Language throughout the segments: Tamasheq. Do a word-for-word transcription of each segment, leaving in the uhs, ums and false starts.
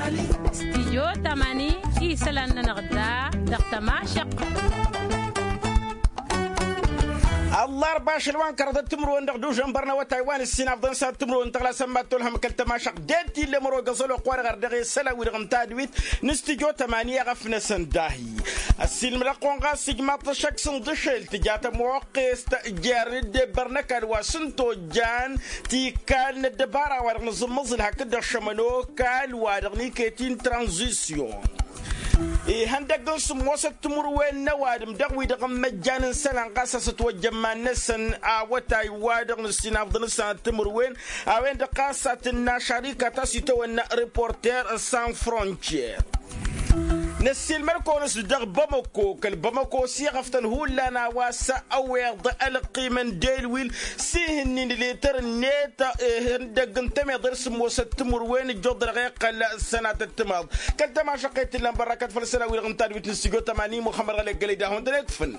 Stijyo tamani isălan-nănăɣ da dăɣ-tămašăq. Ăllarba ašăl wa n-kărăḍăt timǝrwen dăɣ-dužănbăr n-awătay wa n-ǝssin afḍăn s-ad-timǝrwen tăɣlasăn mad-tolhăm kăl-tămašăq. Dd-tillăm ăro găẓăl oqq wa dăɣ-ar dăɣ-e isălan-wi-dăɣ n-tadwit n-stijyo tamani i-aɣăf-năsăn dahi. Ăssiilmăd-ăɣ kăwăn ɣas ijmaḍ-t ăššăk s-inḍǝšel tǝja tămoqqest jer-dd ebbăr n-ăkall wa s-ǝnta ojjan tikkal n-ăddăbara wa dăɣ-nǝẓǝmmăẓǝl hakd-dăɣ šămăn okall wa dăɣ-niket-i n-tranzisyon. Ihăndăgg n-sǝmmosăt timǝrwen n-ăwadǝm dăɣ-wi-dăɣ n-imăjjan n-isălan ɣas a-s ătwăjja iman-năsăn awătay wa dăɣ-nǝssin afḍăn s-ad-timǝrwen a-wen-dăɣ ɣas a tǝnna šarika ta s-itawănna reporter sans frontier. Năssiilmăd-kăwăn-s dăɣ-bamăko kăl-bamăko s-iɣăftăn hullan a-wa s-ăweḍ ălqim n-delwil s-ihǝnnin letăr-net. Ihăndăgg n-temeḍe d-sǝmmosăt timǝrwen ǝjjuḍ dăɣ-iqqăl sănatăt timaḍ kăl-tămašăqqet t-illan bărrakăt făll-sănawi-dăɣ n-tadwit n-stujo tămani muxămmăd ɣălek gălăy d-ahun-tăn-ekfǝn.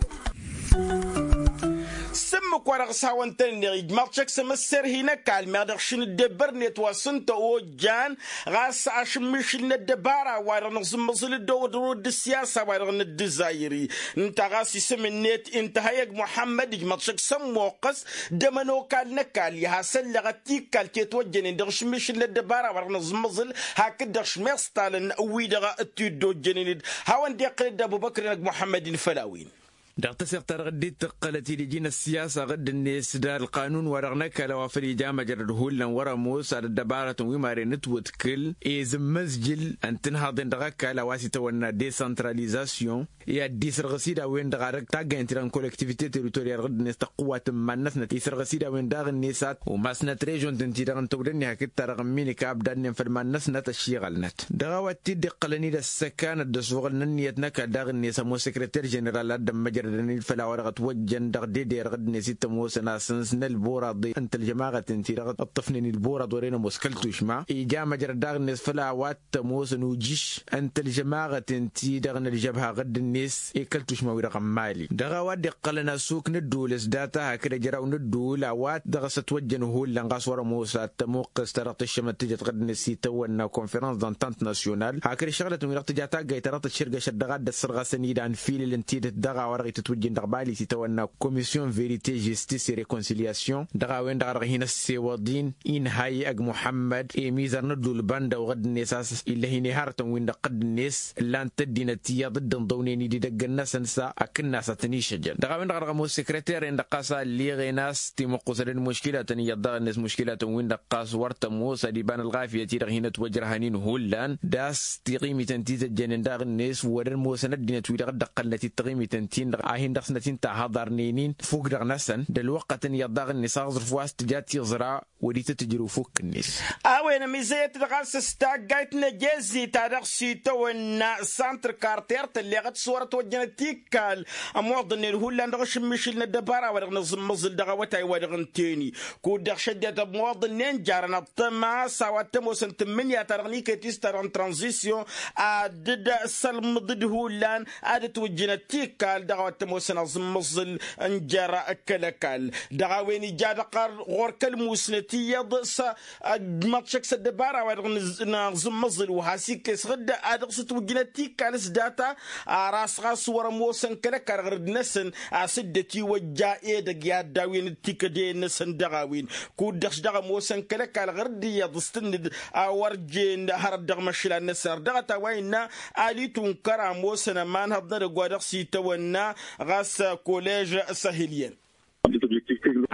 S-ǝmmǝk-wa-dăɣ s-hawăn-tăn-ǝnneɣ ijmaḍ šăkk s-amǝsser hin-ăkall meɣ dăɣ-šin dd-ebbăr-net wa s-ǝnta ojjan ɣas ašǝmmišǝl n-ăddăbara-wa-dăɣ nǝẓǝmmăẓǝl dd-ăwăḍ dd-ăssiyasa-wa-dăɣ n-ăddǝzayri. Ǝnta ɣas isǝm-net intăhăyăg muḥămmăd ijmăḍ šăkk s-ămmoqqăs d-emănokal n-ăkall i-hasăllăɣăt tikkal tetwăjjănen dăɣ-ašǝmmišǝl n-ăddăbara-wa-dăɣ nǝẓǝmmăẓǝl hakd-dăɣ šmeṣṭalăn wi-dăɣ t-dd-ojjănen-dd. Hawăn-dd-iqqǝl dd-ăbubăkr-inăg muḥămmăd-in făll-a-wen. Dăɣ-taseɣt-ta-dăɣ dd-tǝqqălăt idiji n-ăssiyasa ɣǝdd-net d-ălqanun-wa-dăɣ n-ăkall a-wa făl ija măjrăd hullan wăr-ămoos ad-ăddăbarătăn wi maren ǝtwǝdkǝl i-zǝmmăzjǝl ăntǝnhaḍen dăɣ-ăkall a-wa s-itawănna desantralizasyon. I-ad-dd-isărɣǝs-dd a-wen-dăɣ ad-ăgg taggayăn-ti-dăɣ n-kolektivite teritoriyal ɣǝdd-net tăqqǝwat n-iman-năsnăt isărɣǝs-dd a-wen daɣ-net ad-umasnăt režon-tăn-ti-dăɣ n-tawdănni hakd-ta-dăɣ n-minik a ăbdadnen făll-iman-năsnăt ăššiɣălnăt. Dăɣ-a-wa t-dd-iqqălăn-dd ăssăkanăt d-ăsuɣǝl n-ǝnniyăt n-ăkall daɣ-net ămoos sekreter ženeral ad-dd-ămmăjrădăn-dd făll-a-wa-dăɣ ătwăjjăn dăɣ-dede-dăɣ dd-net i-t-ămoosăn asǝns n-ălburaḍe n-tălžămaɣăt-in-ti-dăɣ ǝṭṭăfnen i-ălburaḍ wăren ămoos kăl-tušma. Ija măjrăd daɣ-net făll-a-wa t-ămoosăn ujiš n-tălžămaɣăt-in-ti-dăɣ n-ălžăbha ɣǝdd-net i-kăl-tušma wi-dăɣ n-mali. Dăɣ-a-wa dd-iqqălăn asuk n-ădduul s-data hakd ăjraw n-ădduul a-wa dăɣ-s ătwăjjăn hullan ɣas wăr-ămoos ad-tămuqqǝst ta dăɣ-tǝššămăt tǝjăt ɣǝdd-net s-itawănna konferăns d-antant nasyonal hakd ǝššăɣlătăn wi-dăɣ tǝja taggayt ta dăɣ-tǝššǝrgăšăt dăɣ-ad-dd-ăssărɣăsăn-dd anfilǝl n-tidǝt dăɣ-a-wa dăɣ-itǝtwǝjjin dăɣ-bali s-itawănna komisyon verite žistis i-rekonsilyasyon. Dăɣ-a-wen-dăɣ a dăɣ-hin-ăssewăḍ-in inhayy ăgg muḥămmăd i-imizăr n-ădduul banda ɣǝdd-net a-s illăh-in ihărătăn-win-dăɣ ɣǝdd-net ǝllan-t ăddinăt iyyăḍ dd-ǝnḍăwnen-dd idăgg-năsăn s-a ăkǝnnas ad-tăn-išăjăn. Dăɣ-a-wen-dăɣ a dăɣ-ămoos sekreter-en-dăɣ ɣas a ălleɣen a-s timǝqqusăd d-muškilatăn iyyăḍ daɣ-net muškilatăn-win-dăɣ ɣas wăr tămoos ad-iba n-ălɣafyăt-i-dăɣ hin-ătwăjrăhăn-in hullan d-a-s tiɣimităn ti tăjjănen daɣ-net wăr-ămoosăn ăddinăt-wi-dăɣ dd-ăqqălnăt-dd taɣimităn-tin-dăɣ a hin-dăɣ-snăt-in-tahăḍarnen-in fukk dăɣ-năsăn d-ălwăqqăt n-iyyăḍ daɣ-net aẓrǝf wa s-tǝja tiẓra wăr-itǝtǝjrǝw fukk-net. A-wen ămizăyăt-dd ɣas s-taggayt n-ejezi ta dăɣ-s itawănna santr karter tălleɣăt s-wăr-ătwăjjănăt tikkal ămoḍănnen hullan dăɣ-ašǝmmišǝl n-ăddăbara wa dăɣ-nǝẓǝmmăẓǝl dăɣ-awătay wa dăɣ-ǝntăyni. Kud-dăɣ šăddinăt ămoḍănnen jarăn ăṭṭăma s-a-wa t-ămoosăn tǝmmǝnǝya ta dăɣ-nikăyt-i s-ta dăɣ-n tranzisyon ad-dd-sălmǝḍ-dd hullan ad-ătwǝjjǝnăt tikkal dăɣ-a-wa t-ămoosăn aẓǝmmăẓǝl n-jer-kăl-ăkall. Dăɣ-a-wen ija dăɣ-ɣăr ɣur-kăl-musnăt iyyăḍ s-ăjmăḍ šăkk s-ăddăbara wa dăɣ-nǝẓǝmmăẓǝl wa has-ikkes ɣǝdda a dăɣ-s ǝtwǝjjǝnăt tikkal s-data. Ar a-s ɣas wăr-ămoosăn kăl-ăkall ɣăr-dd-năsăn a-s dd-ătiwăjja edăgg i-ad-dawǝyăn d-tikădeyăn-năsăn dăɣ-a-wen. Kud-dăɣ s-dăɣ-ămoosăn kăl-ăkall ɣăr-dd iyyăḍ s-tǝnnǝd a wăr jen hărăt dăɣ-imăšlan-năsăn ar dăɣ-ătaway innă ali tunkăr a ămoosăn ămanhăḍ n-edăgg wa dăɣ-s itawănna ɣas kolež săhǝlyen.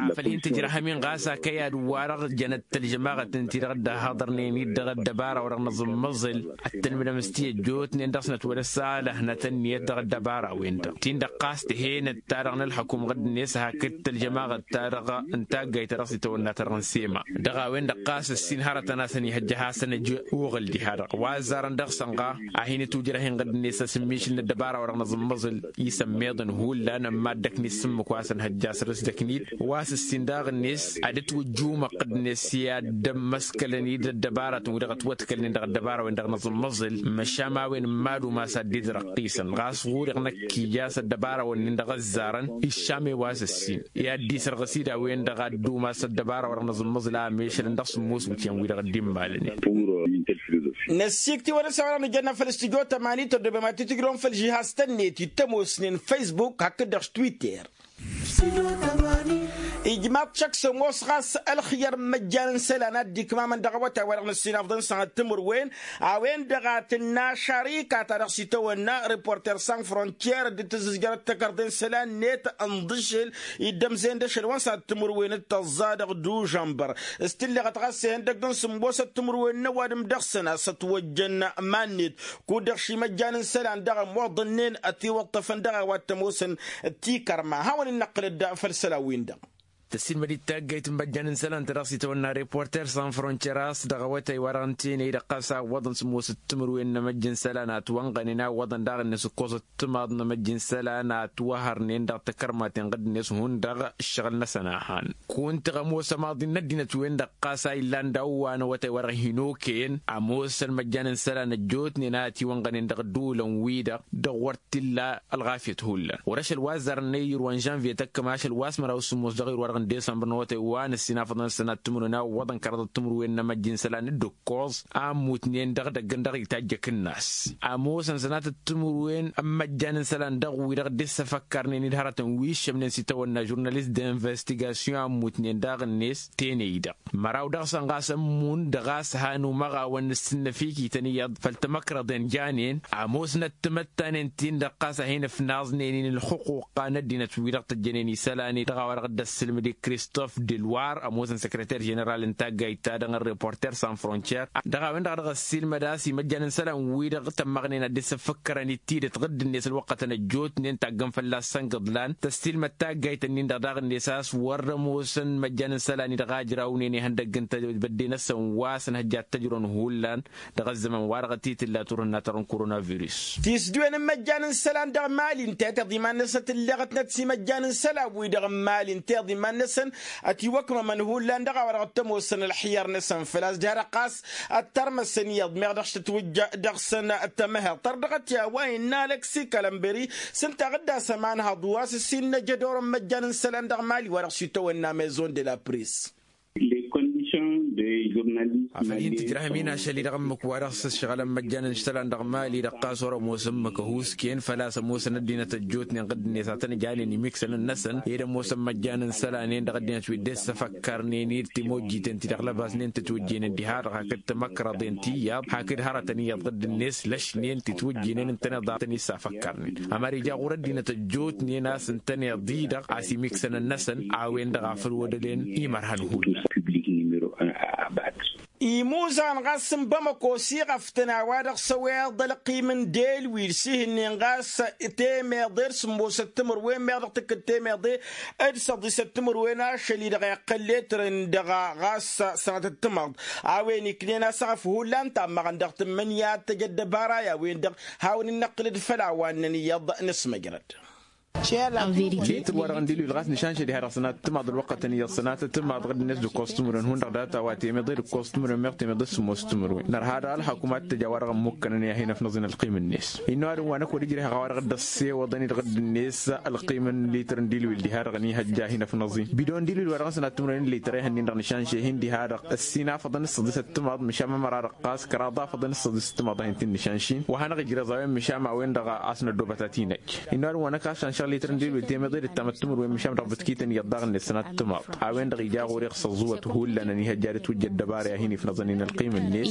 Afăl hin-tǝjrăhăm-in ɣas a kăy-ad-wa-dăɣ jănăt tălžămaɣăt ǝnta-i-dăɣ dd-ăhhăḍărnen-dd dăɣ-ăddăbara wa dăɣ-nǝẓǝmmăẓǝl. Ăttălmǝdăm s-ti ăjjootnen dăɣ-snăt wăr-ăssalăhnăt ǝnniyăt dăɣ-ăddăbara-wen-dăɣ tin-dăɣ ɣas tǝhenăt ta-dăɣ n-ălxăkum ɣǝdd-net hakd tălžămaɣăt ta-dăɣ n-taggayt ta dăɣ-s itawănna ta dăɣ-nǝsema. Dăɣ-a-wen-dăɣ ɣas ǝssin hărătăn a-s ănihăjja ad-hasăn-ăj uɣǝl diha-dăɣ wa ăzzarăn dăɣ-sănɣa a hin-ǝtwǝjrăh-in ɣǝdd-net asǝmmišǝl n-ăddăbara wa dăɣ-nǝẓǝmmăẓǝl. Isămmeḍăn hullan ămmaddăkni s-ǝmmǝk wa s-ănhăjja săr-s dăknit wa s-ǝssin daɣ-net ad-ǝtwǝjjumăɣ-net i-ad-dd-ămmăskălăn-dd ăddăbaratăn-wi-dăɣ ătwătkălnen dăɣ-ăddăbara-wen-dăɣ năẓǝmmăẓǝl. Măšan ma a-wen n-mad-umas a dd-idrăqqisăn ɣas ɣur-i năkk ija s-ăddăbara-wăn-nin-dăɣ ăzzarăn iššam i-wa s-ǝssin i-ad-dd-isărɣǝs-dd a-wen-dăɣ ad-dd-umas ăddăbara-wa-dăɣ năẓǝmmăẓǝl a ămešălăn dăɣ-sǝmmos iwǝtyan-wi-dăɣ dd-immalănen. Năssikt'-i wa dăɣ-s a-wa-dăɣ nǝjănna făll-studyo tămani tăddobem ad-t-tǝjrǝwăm făll-žihaz-tăn-net i-t-ămoosnen facebook hakd-dăɣ s-twitter. Ijmaḍ-t šăkk s-ămoos ɣas ălxǝyyăr n-imăjjan n-isălan a dd-ikmamăn dăɣ-awătay wa dăɣ-năssinafḍăn sănat timǝrwen a-wen-dăɣ a tǝnna šarika ta dăɣ-s itawănna reporter sans frontier dd-tǝzzǝzjărăt takărḍe n-isălan-net ǝnḍǝšǝl iddămzen d-ašăl wa n-sănat timǝrwen d-tăẓẓa dăɣ-dužănbăr. S-tǝlleɣăt ɣas ihăndăgg n-sǝmmosăt timǝrwen n-ăwadǝm dăɣ-săn a-s ătwăjjăn iman-net kud-dăɣ šimăjjan n-isălan dăɣ-ămoḍănnen ătiwăṭṭăfăn dăɣ-a-wa t-ămoosăn. Tikărma hawăn-in-năqqǝlăd făll-isălan-win-dăɣ. Tăssiilmăd-dd taggayt n-imăjjan n-isălan ta dăɣ-s itawănna reporter sans frontier a-s dăɣ-awătay wa dăɣ-n tenăy-dăɣ ɣas a ǝwwăḍăn sǝmmosăt timǝrwen n-emăjj n-isălan a ătwănɣănen a ǝwwăḍăn daɣ-net ǝkkosăt timaḍ n-emăjj n-isălan a ătwăhărnen dăɣ-takărmaten ɣǝdd-net hundăɣ ǝššăɣǝl-năsăn a han. Kunta ămoos ămaḍi n-ăddinăt-wen-dăɣ ɣas a illan daw-wa n-awătay wa dăɣ-hin-okăyăn ămoosăn imăjjan n-isălan ăjjootnen a ătiwănɣănen dăɣ-ădduulăn-wi-dăɣ dăɣ-wăr t-illa ălɣafyăt hullan wăr-ašăl wa ăzzarăn i-irwa n-žănvye tăkkăm ašăl wa s-măraw s-sǝmmos dăɣ-irwa dăɣ-n desămbăr n-awătay wa n-ăssinafăḍăn sănat timǝrwen a ǝwwăḍăn kăraḍăt timǝrwen n-emăjj n-isălan d-ǝkkoẓ a ămmutnen dăɣ-idăggăn dăɣ-itajjăk-năs. Ămoosăn sănatăt timǝrwen n-imăjjan n-isălan dăɣ-wi-dăɣ dd-issăfăkkărnen-dd hărătăn wi ǝššămnen s-itawănna žurnalist d-investigasyon a ămmutnen daɣ-net tenăy-dăɣ măraw dăɣ-săn ɣas ămmun dăɣ-a-s han umăɣawăn n-ǝssǝnnăfikităn iyyăḍ făll-tamăkrăḍen janen ămoosnăt timăttanen-tin-dăɣ ɣas a hin-ǝfnaẓnen-in ǝlxǝquqa n-ăddinăt wi-dăɣ tăjjănen isălan-i dăɣ-a-wa dăɣ-dd-ăss ǝlmǝd i-kristof delwar ămoosăn săkrăter ženeral n-taggayt-ta-dăɣ n-reporter sans frontier dăɣ-a-wen-dăɣ a dăɣ-ăssiilmăd a-s imăjjan n-isălan-wi-dăɣ tămmăɣnen ad-dd-săffăkkărăn d-tidǝt ɣǝdd-net ălwăqqătăn ăjjootnen taggăn fălla-s săn gǝḍlan tăssiilmăd taggayt-nin-dăɣ daɣ-net a-s wăr-ămoosăn imăjjan n-isălan-i-dăɣ a ǝjrawnene ihăndăgg n-tebădde-năsăn wa s-ănhăjja d-tăjrăwăn hullan dăɣ-ăzzăman-wa-dăɣ t-tǝlla turhǝnna ta dăɣ-n koronavirus. Tisdǝwen n-imăjjan n-isălan dăɣ-mali ǝnta i-tiḍa iman-năsăn tǝlleɣătnăt s-imăjjan n-isălan-wi-dăɣ n-mali ǝnta i-tiḍa iman-năsăn ătiwăkmămăn hullan dăɣ-a-wa dăɣ-t-ămoosăn ălxiyăr-năsăn făl-a-s diha-dăɣ ɣas ăttărmăsăn iyyăḍ meɣ dăɣ-s tǝtwǝjja dăɣ-săn. Tămăheḍt tărdăɣăt i-a-wa innă aleksi kalămbări s-ǝnta a ɣǝddas ămanhăḍ wa s-ǝssin n-ajădor n-imăjjan n-isălan dăɣ-mali wa dăɣ-s itawănna maison de la pris. Afăl hin-tǝjrăhăm-in ašăl-i-dăɣ ǝmmǝk wa dăɣ-s ǝššăɣǝlăn imăjjan n-isălan dăɣ-mali-dăɣ ɣas wăr-ămoos ǝmmǝk ăhuusken făl-a-s ămoosăn ăddinăt ăjjootnen ɣǝdd-net a tăn-ǝjanen imiksăn-năsăn ed ămoosăn imăjjan n-isălan-en dăɣ-ăddinăt wi dd-e-s săfăkkărnen-dd timojjiten ti-dăɣ lăbasnen tǝtwǝjjenen diha-dăɣ hakd tamăkrăḍen ti iyyăḍ hakd hărătăn iyyăḍ ɣǝdd-net lăšnen titwǝjjinen ǝntăneḍ a tăn-issafăkkărnen. Ămăra ija ɣur-ăddinăt ăjjootnen a-s ǝntăneḍ-i-dăɣ a-s imiksăn-năsăn a-wen-dăɣ a făl wădălen imărhăn hullan. Imuzan ɣas n-bamăko s-iɣăftăn a-wa-dăɣ s-ăweḍ ălqim n-delwil s-ihǝnnen ɣas temeḍe d-sǝmmosăt timǝrwen meɣ dăɣ-tǝkkǝd temeḍe d-săḍisăt timǝrwen ašăl-i-dăɣ iqqăl letrăn dăɣ-ɣas sănatăt timăḍ a-wen iknen a-s aɣăf hullan tammăɣăn dăɣ-tǝmmǝnǝya ad-tăj ăddăbara i-a-wen-dăɣ hawăn-in-năqqǝlăd făll-a-wa ǝnnăn iyyăḍ n-asmăjrăd. Litǝr-wa-dăɣ n-dilwil ɣas nǝšanšăd iha dăɣ-sănatăt timaḍ ălwăqqătăn iyyăḍ sănatăt timaḍ ɣǝd-net d-ǝkkoẓ timǝrwen hundăɣ data a-wa temeḍe d-ǝkkoẓ timǝrwen meɣ temeḍe s-sǝmmos timǝrwen nărha dăɣ-ălxakum ad-t-tăj a-wa-dăɣ ămmukkănăn i-ad-hin-ăfnăẓ-in ălqim-net. Innă ăwadǝm wa n-ăkk wăr-ijreh a-wa-dăɣ dd-ăssewăḍăn-dd ɣǝdd-net ălqim n-litǝr n-dilwil diha-dăɣ ănihăjja ad-hin-ăfnăẓ-in bidon n-dilwil wa dăɣ-nǝsăn ad-timǝrwen n-litǝr ehăn-in-dăɣ nǝšanš-e-hin diha-dăɣ ăssin afăḍăn s-săḍisăt timaḍ mǝšan mămăra-dăɣ ɣas kăraḍ afăḍăn s-săḍisăt timaḍ ad-hin-t-in-nǝšanš-in wa hanăɣ-ijreẓ a-wen mǝšan ma-wen-dăɣ a-s năddobăt ad-t-in-ăj. Innă ăwadǝm wa n-ăkk a-s šanšăɣ litǝr n-dilwil temăḍe d-ǝttamăt timǝrwen mǝšan dăɣ-bǝtkităn iyyăḍ daɣ-net sănat timaḍ a-wen-dăɣ ija ɣur-e ɣas ăẓẓuwăt hullan ănihăjja ad-ǝtwǝjja ăddăbara i-ad-hin-ifnăẓăn-in ălqim-net.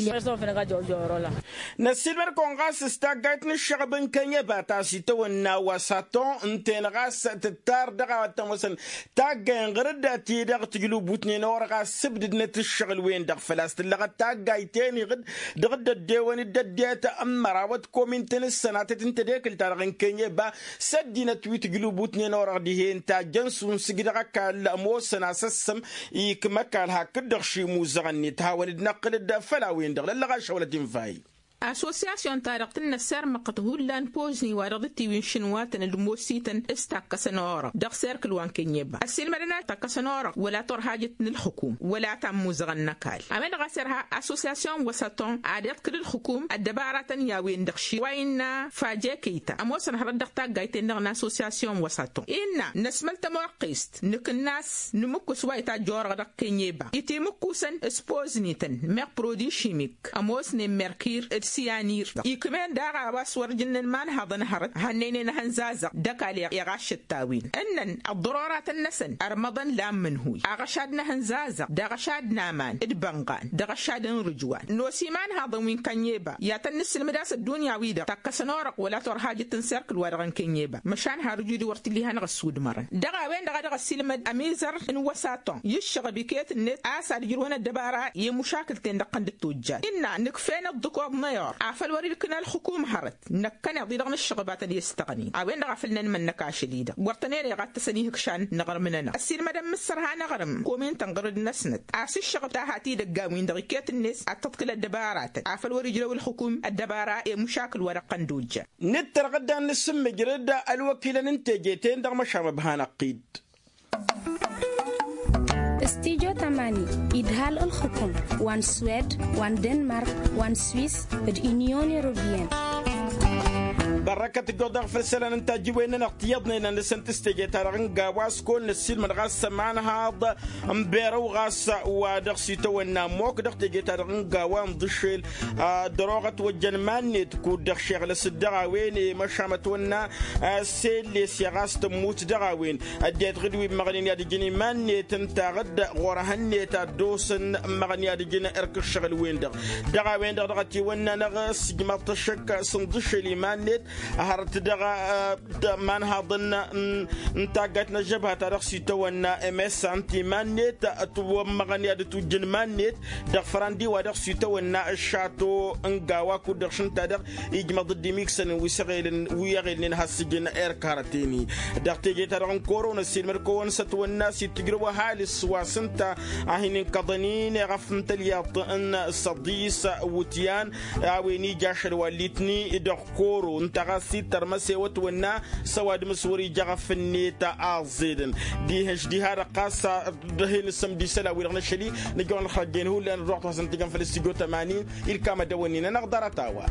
Năssiilmăd-kăwăn ɣas s-taggayt n-ǝššăɣăb n-kănyăba ta s-itawănna wa saton ǝnta-en ɣas tǝttar dăɣ-a-wa t-ămoosăn taggay n-ɣărădda-ti-dăɣ tǝjlǝbutnen orăɣ a ǝssǝbdǝdnăt ǝššăɣǝl-wen-dăɣ făl-a-s tǝllăɣăt taggayt-en iɣǝd dăɣ-dd-ăddewăn d-ăddinăt n-mărawăt komintăn s-sănatăt n-tedekǝlt-ta-dăɣ n-kănyăba s-ăddinăt wi tǝjlǝbutnen orăɣ dihen tajjăn s-unsǝj dăɣ-ăkall ămoosăn asăssăm ikmăkal hakd-dăɣ šimuzăɣ-net hawăn-dd-năqqǝlăd făll-a-wen-dăɣ lăllăɣ ašăwălăt infahi. Asosiyasyon-ta-dăɣ tǝnnă ăssirmăɣăt hullan pozni wa dăɣ-dd-tiwǝy n-išǝnwatăn d-ămoosităn s-takkăsăn orăɣ dăɣ-serkǝl wa n-kănyeba ăssiilmădăn ad-takkăsăn orăɣ wăla turhajăt n-ǝlxǝkum wăla ta n-imuzăɣăn n-ăkall. A-wen-dăɣ a-s irha asosiyasyon n-wăsăton ad-iḍkǝl ǝlxǝkum ăddăbaratăn i-a-wen-dăɣ ši wa innă faje kăyta ămoosăn hărăt dăɣ-taggayt-en-dăɣ n-asosiyasyon n-wăsăton innă năsmăl tămoqqest nǝkǝnnas nǝmǝkkus wa itajj orăɣ dăɣ-kănyeba itimǝkkusăn s-poznităn meɣ produit šimik ămoosnen merkir d-siyanir ikmen daɣ a-wa s-wăr jǝnnăn imanhaḍăn hărăt hannăynen ehăn zazăɣ d-ăkall iɣaššăt-t-a-wen ǝnnăn ăḍḍăroratăn-năsăn ărmăḍăn la n-imǝnhuy aɣăšad n-ehăn zazăɣ d-aɣăšad n-aman d-bănɣan d-aɣăšad n-rǝjwan n-osi imanhaḍăn wi n-kănyeba i-ad-tăn-nǝssǝlmǝd a-s ăddunya-wi-dăɣ takkăsăn orăɣ wăla turhajăt n-serkǝl-wa-dăɣ n-kănyeba măšan har ǝjud wăr t-illa ihanăɣ-ăssudmărăn dăɣ-a-wen-dăɣ a dăɣ-ăssiilmăd ămizăr n-wăsaton i-ǝššăɣăb iket-net a-s ad-ǝjrǝwăn ăddăbara i-imǝšakǝl-ten-dăɣ-tăn dd-tojjad innă nǝkf'-en ǝḍḍǝkoḍ n-ayur afăl wăr-ilkǝn ălxǝkum hărăt năkkăneḍ-i-dăɣ n-ǝššăɣbat ad-i-ăstăɣnen a-wen-dăɣ a făl năn-mănnăk ašăl-i-dăɣ wăr tăn-ere iɣattăsăn ihǝkšan n-aɣrǝm-nănăɣ ăssiilmădăn mǝssărha n-aɣrǝm kominta n-ɣărăd-năsnăt a-s ǝššăɣăb ta hat-idăggan-win-dăɣ iket-net ad-tăḍkǝl ăddăbaratăn afăl wăr-ijrăw ǝlxǝkum ăddăbara i-imǝšakǝl wa dăɣ-tăn dd-ojjăn. Nǝttărɣ dd-ad-nǝsǝmmǝjrăd ălwăkilăn n-teje-ten-dăɣ măšan ăbhanăɣ-t-dd. Stijo tamani idhal ǝlxǝkum wa n-swed wa n-denmark wa n-swis d-inyon europiyăn. Ḍarrăkăt ǝjjuḍ dăɣ-făll-isălan n-tajjǝwen-nănăɣ tiyyăḍnen ad-nǝsǝnt s-teje-ta-dăɣ n-gawa s-kăwăn-năssiilmăd ɣas ămanhaḍ n-berăw ɣas wa dăɣ-s itawănna ămmok dăɣ-teje-ta-dăɣ n-gawa n-iḍǝššel. Dăr-oɣăt wăjjăn iman-net kud-dăɣ šeɣlăs-dd dăɣ-a-wen i-măšan ătwănna s-elles i-ɣas tămmut dăɣ-a-wen. Ăddinăt ɣǝd wi ǝmmăɣnen i-ad-ǝjǝn iman-net ǝntaɣ-dd ɣur-ehăn-net ad-dd-osăn ǝmmăɣăn i-ad-ǝjǝn erk ǝššăɣǝl-wen-dăɣ. Dăɣ-a-wen-dăɣ dăɣ-ătiwănna-năɣ s-ǝjmăḍ-t ăššăk s-inḍǝššel iman-net hărăt dăɣ-imanhaḍăn n-taggayt n-ăžžăbha ta dăɣ-s itawănna emessa ǝnta iman-net ătwămmăɣăn i-ad-ătwǝjjǝn iman-net dăɣ-fărandi wa dăɣ-s itawănna ăššato n-gawa kud-dăɣ šǝnta-dăɣ ijmăḍ-dd imiksăn wi s-ăɣelnen has-sǝjǝn erk hărăt-en-i. Dăɣ-teje-ta-dăɣ n-koro năssiilmăd kăwăn-s ătwănna s-dd-tǝjrăw ăhalǝs wa s-ǝnta a hin-inkăḍăn-in eɣăf n-tălyăḍt n-săḍis wǝtyan a-wen ija ašăl wa ǝllitni dăɣ-koro ǝnta ɣas ittărmăs ewăt wănna s-ăwadǝm s-wăr-ija ɣăf-net a ăẓẓedăn. Dihen-š diha-dăɣ ɣas ad-hin-ǝssǝmd isălan-wi-dăɣ n-ašăl-i nǝjăwăn ălxăjjen hullan ăddoɣ-t hasăn-t-ijăn făll-s tijot ămanin. Ilkam ad-dăwănnin-anăɣ ḍarăt a-wa.